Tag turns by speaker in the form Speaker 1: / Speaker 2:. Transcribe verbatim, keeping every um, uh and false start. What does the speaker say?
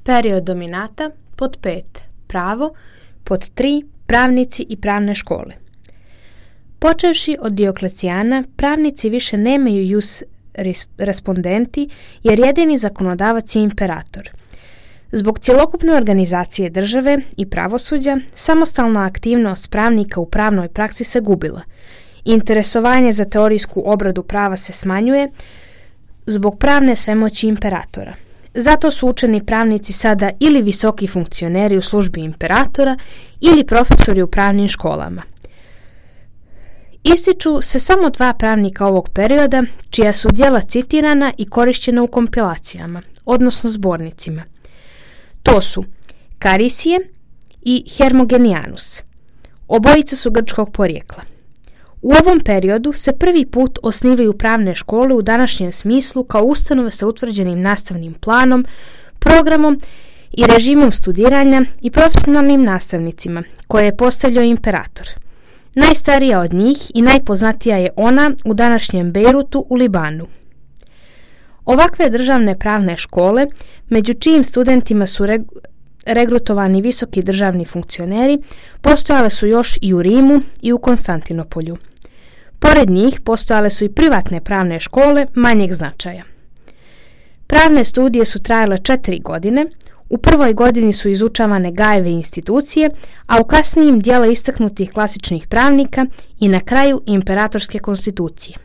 Speaker 1: Period dominata. Pod pet. Pravo. Pod tri. Pravnici i pravne škole. Počevši od Dioklecijana, pravnici više nemaju jus respondenti jer jedini zakonodavac je imperator. Zbog cjelokupne organizacije države i pravosuđa, samostalna aktivnost pravnika u pravnoj praksi se gubila. Interesovanje za teorijsku obradu prava se smanjuje zbog pravne svemoći imperatora. Zato su učeni pravnici sada ili visoki funkcioneri u službi imperatora ili profesori u pravnim školama. Ističu se samo dva pravnika ovog perioda, čija su djela citirana i korišćena u kompilacijama, odnosno zbornicima. To su Karisije i Hermogenianus. Obojica su grčkog porijekla. U ovom periodu se prvi put osnivaju pravne škole u današnjem smislu kao ustanove sa utvrđenim nastavnim planom, programom i režimom studiranja i profesionalnim nastavnicima koje je postavljao imperator. Najstarija od njih i najpoznatija je ona u današnjem Bejrutu u Libanu. Ovakve državne pravne škole, među čijim studentima su reg- regrutovani visoki državni funkcioneri, postojale su još i u Rimu i u Konstantinopolju. Pored njih postojale su i privatne pravne škole manjeg značaja. Pravne studije su trajale četiri godine, u prvoj godini su izučavane Gajeve institucije, a u kasnijim dijela istaknutih klasičnih pravnika i na kraju imperatorske konstitucije.